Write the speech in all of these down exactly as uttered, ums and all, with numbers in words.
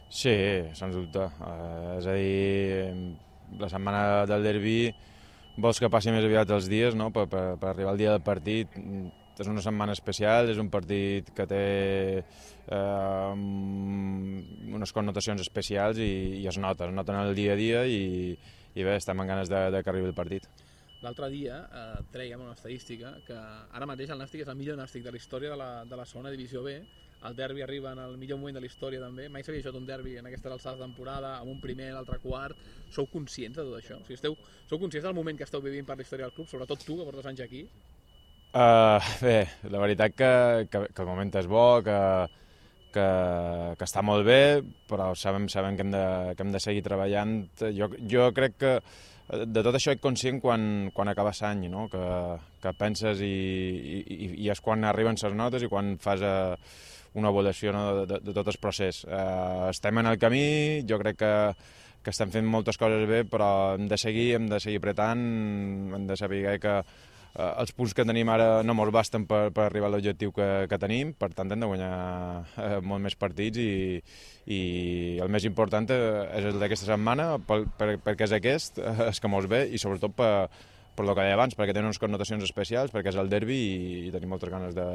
Sí, sens dubte. Uh, és a dir, la setmana del derbi vols que passi més aviat els dies, no? per, per, per arribar al dia del partit. És una setmana especial, és un partit que té eh, unes connotacions especials i, i es nota, es nota en el dia a dia i, i bé, estem amb ganes de, de que arribi el partit. L'altre dia eh, trèiem una estadística que ara mateix el Nàstic és el millor Nàstic de la història de la, de la segona divisió B. El derbi arriba en el millor moment de la història també. Mai s'havia jugat un derbi en aquestes alçades de temporada, amb un primer, l'altre quart. Sou conscients de tot això? O sigui, esteu, sou conscients del moment que esteu vivint per la història del club, sobretot tu, que portes anys aquí? Uh, bé, la veritat que, que, que el moment és bo, que, que, que està molt bé, però sabem, sabem que, hem de, que hem de seguir treballant. Jo, jo crec que de tot això ets conscient quan, quan acabes l'any, no? que, que penses i, i, i és quan arriben les notes i quan fas uh, una avaluació, no? de, de, de tot el procés. Uh, estem en el camí, jo crec que, que estem fent moltes coses bé, però hem de seguir, hem de seguir apretant, hem de saber que Uh, els punts que tenim ara no ens basten per, per arribar a l'objectiu que, que tenim, per tant hem de guanyar uh, molt més partits i, i el més important és el d'aquesta setmana per, per, perquè és aquest, uh, és que mos ve i sobretot per, per el que deia abans, perquè té unes connotacions especials, perquè és el derbi i, i tenim moltes ganes de,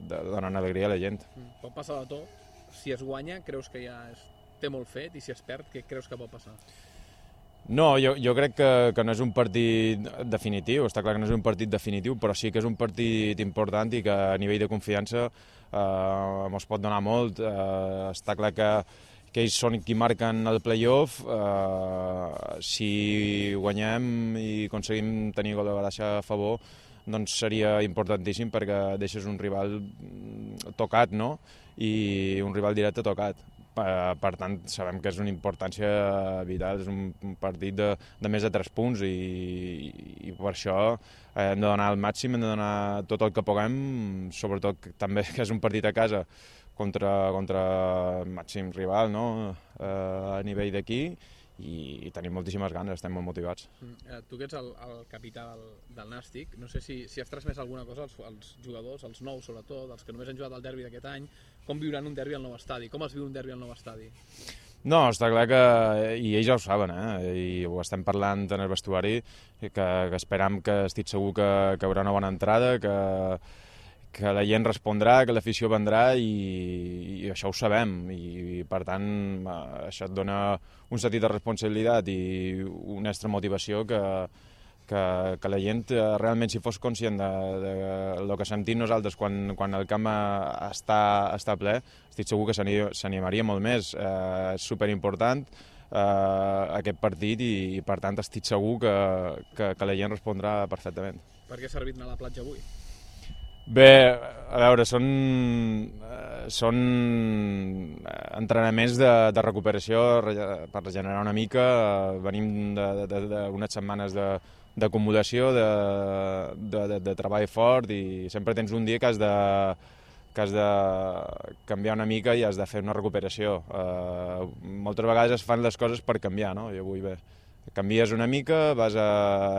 de donar una alegria a la gent. Pot passar de tot. Si es guanya, creus que ja es té molt fet, i si es perd, què creus que pot passar? No, jo, jo crec que, que no és un partit definitiu, està clar que no és un partit definitiu, però sí que és un partit important i que a nivell de confiança eh, ens pot donar molt. Eh, està clar que, que ells són qui marquen el play-off. Eh, si guanyem i aconseguim tenir gol de baixa a favor, doncs seria importantíssim perquè deixes un rival tocat, no? I un rival directe tocat. Per tant, sabem que és una importància vital, és un partit de, de més de tres punts i, i per això hem de donar el màxim, hem de donar tot el que puguem, sobretot també que és un partit a casa contra, contra el màxim rival, no? a nivell d'aquí, i, i tenim moltíssimes ganes, estem molt motivats. Mm, tu que ets el, el capità del, del Nàstic, no sé si, si has transmès alguna cosa als, als jugadors, als nous sobretot, els que només han jugat al derbi d'aquest any, com viuran un derbi al nou estadi? Com es viu un derbi al nou estadi? No, està clar que, i ells ja ho saben, eh? I ho estem parlant en el vestuari, que, que esperam que estic segur que, que hi haurà una bona entrada, que, que la gent respondrà, que l'afició vendrà i, i això ho sabem i, i per tant això et dona un sentit de responsabilitat i una extra motivació que, que, que la gent realment si fos conscient de, de, de lo que sentim nosaltres quan, quan el camp està, està ple, estic segur que s'animaria molt més. Eh, és superimportant eh, aquest partit i, i per tant estic segur que, que, que la gent respondrà perfectament. Per què ha servit anar a la platja avui? Bé, a veure, són, són entrenaments de, de recuperació per regenerar una mica. Venim d'unes setmanes d'acumulació, de, de, de, de treball fort i sempre tens un dia que has de, que has de canviar una mica i has de fer una recuperació. Uh, moltes vegades es fan les coses per canviar, no? I avui bé. Canvies una mica, vas a,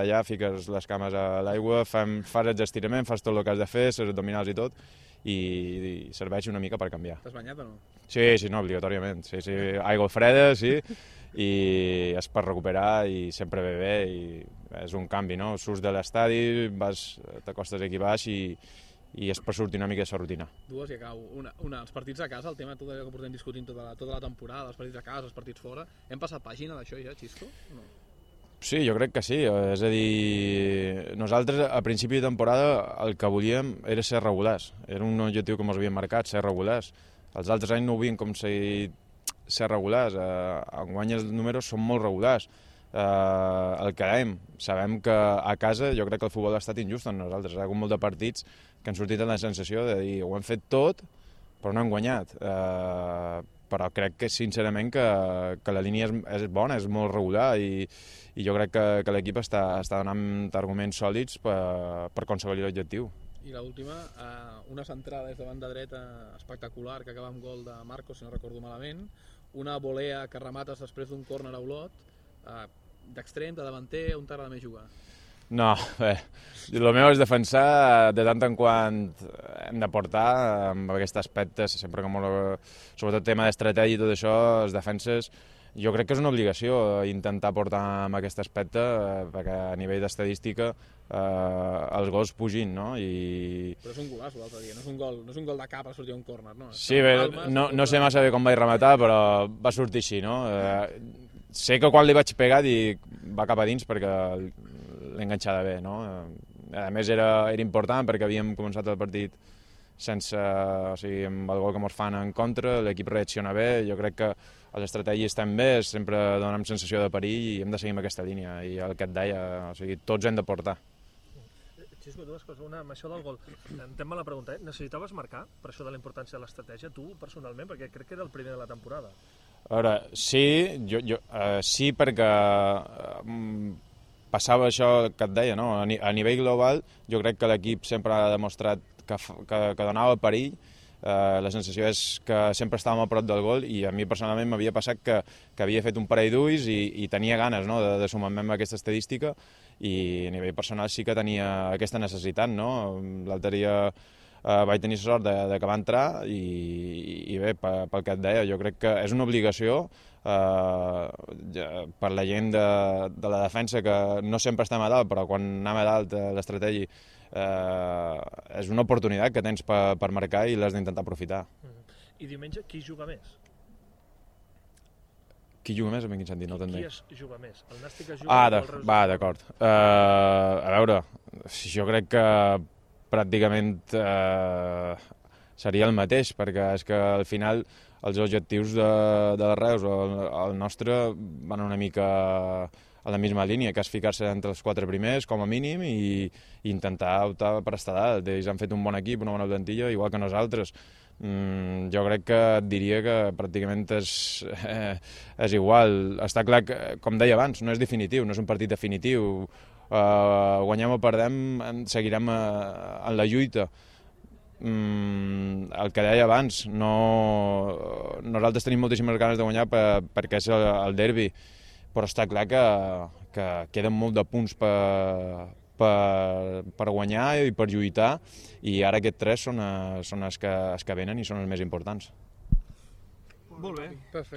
allà, fiques les cames a l'aigua, fas els estiraments, fas tot el que has de fer, les abdominals i tot, i, i serveix una mica per canviar. T'has banyat o no? Sí, sí, no, obligatòriament. Sí, sí, aigua freda, sí, i és per recuperar i sempre ve bé, i és un canvi, no? Surts de l'estadi, t'acostes aquí baix i, i és per sortir una mica de la rutina. Dues i acabo. Una, una, els partits a casa, el tema tot allò que portem discutint tota la, tota la temporada, els partits a casa, els partits fora, hem passat pàgina d'això ja, Xisco? No? Sí, jo crec que sí. És a dir, nosaltres a principi de temporada el que volíem era ser regulars. Era un objectiu que ens havíem marcat, ser regulars. Els altres anys no ho havien aconseguit ser regulars. Eh, enguany els números són molt regulars. Eh, el que dèiem, sabem que a casa jo crec que el futbol ha estat injust en nosaltres. Hi ha hagut molt de partits que han sortit amb la sensació de dir ho hem fet tot però no hem guanyat. Eh, però crec que sincerament que, que la línia és, és bona, és molt regular i, i jo crec que, que l'equip està, està donant arguments sòlids per, per aconseguir l'objectiu. I l'última, eh, una centrada des de banda dreta espectacular que acaba amb gol de Marcos, si no recordo malament, una volea que remates després d'un córner a Olot, eh, d'extrem, de davanter, on t'agrada més jugar? No, bé, el meu és defensar, de tant en quant hem de portar amb aquest aspecte, sempre que molt, sobretot tema d'estratègia i tot això, les defenses, jo crec que és una obligació intentar portar amb aquest aspecte, perquè a nivell d'estadística eh, els gols pugin, no? I... Però és un golaç l'altre dia, no és un gol, no és un gol de cap a sortir un córner, no? Sí, bé, no, no sé massa bé com vaig rematar, però va sortir així, no? Eh, sé que quan li vaig pegar dic, va cap a dins perquè l'he enganxada bé, no? A més era, era important perquè havíem començat el partit sense, o sigui, amb el gol que ens fan en contra, l'equip reacciona bé, jo crec que les estratègies estan bé, sempre donem sensació de perill i hem de seguir amb aquesta línia, i el que et deia, o sigui, tots hem de portar. Xisco, dues coses. Una, amb això del gol, entenc la pregunta, eh? Necessitaves marcar per això de la importància de l'estratègia, tu personalment, perquè crec que era el primer de la temporada. A veure, sí, jo, jo, uh, sí perquè uh, passava això que et deia, no? A, ni, a nivell global jo crec que l'equip sempre ha demostrat que, que, que donava perill. Uh, la sensació és que sempre estàvem a prop del gol i a mi personalment m'havia passat que, que havia fet un parell d'ulls i, i tenia ganes, no?, de, de sumar-me amb aquesta estadística, i a nivell personal sí que tenia aquesta necessitat, no? L'altre dia uh, vaig tenir sort de, de que va entrar i, i bé, pel, pel que et deia, jo crec que és una obligació uh, per la gent de, de la defensa, que no sempre estem a dalt, però quan anem a dalt l'estratègia Uh, és una oportunitat que tens per, per marcar i l'has d'intentar aprofitar. Mm. I diumenge qui juga més? Qui juga més? En quin sentit? No qui qui es juga més? El Nàstic es juga ah, o de, el Reus? Va, d'acord. Uh, a veure, jo crec que pràcticament uh, seria el mateix, perquè és que al final els objectius de, de Reus o el, el nostre van una mica a la misma línia, que és ficar-se entre els quatre primers, com a mínim, i, i intentar optar per estar dalt. Ells han fet un bon equip, una bona plantilla, igual que nosaltres. Mm, jo crec que et diria que pràcticament és, eh, és igual. Està clar que, com deia abans, no és definitiu, no és un partit definitiu. Uh, guanyem o perdem, seguirem uh, en la lluita. Mm, el que deia abans, no, nosaltres tenim moltíssimes ganes de guanyar per, perquè és el, el derbi, però està clar que, que queden molt de punts per, per, per guanyar i per lluitar, i ara aquests tres són, són els, que, els que venen i són els més importants. Molt bé. Perfecte.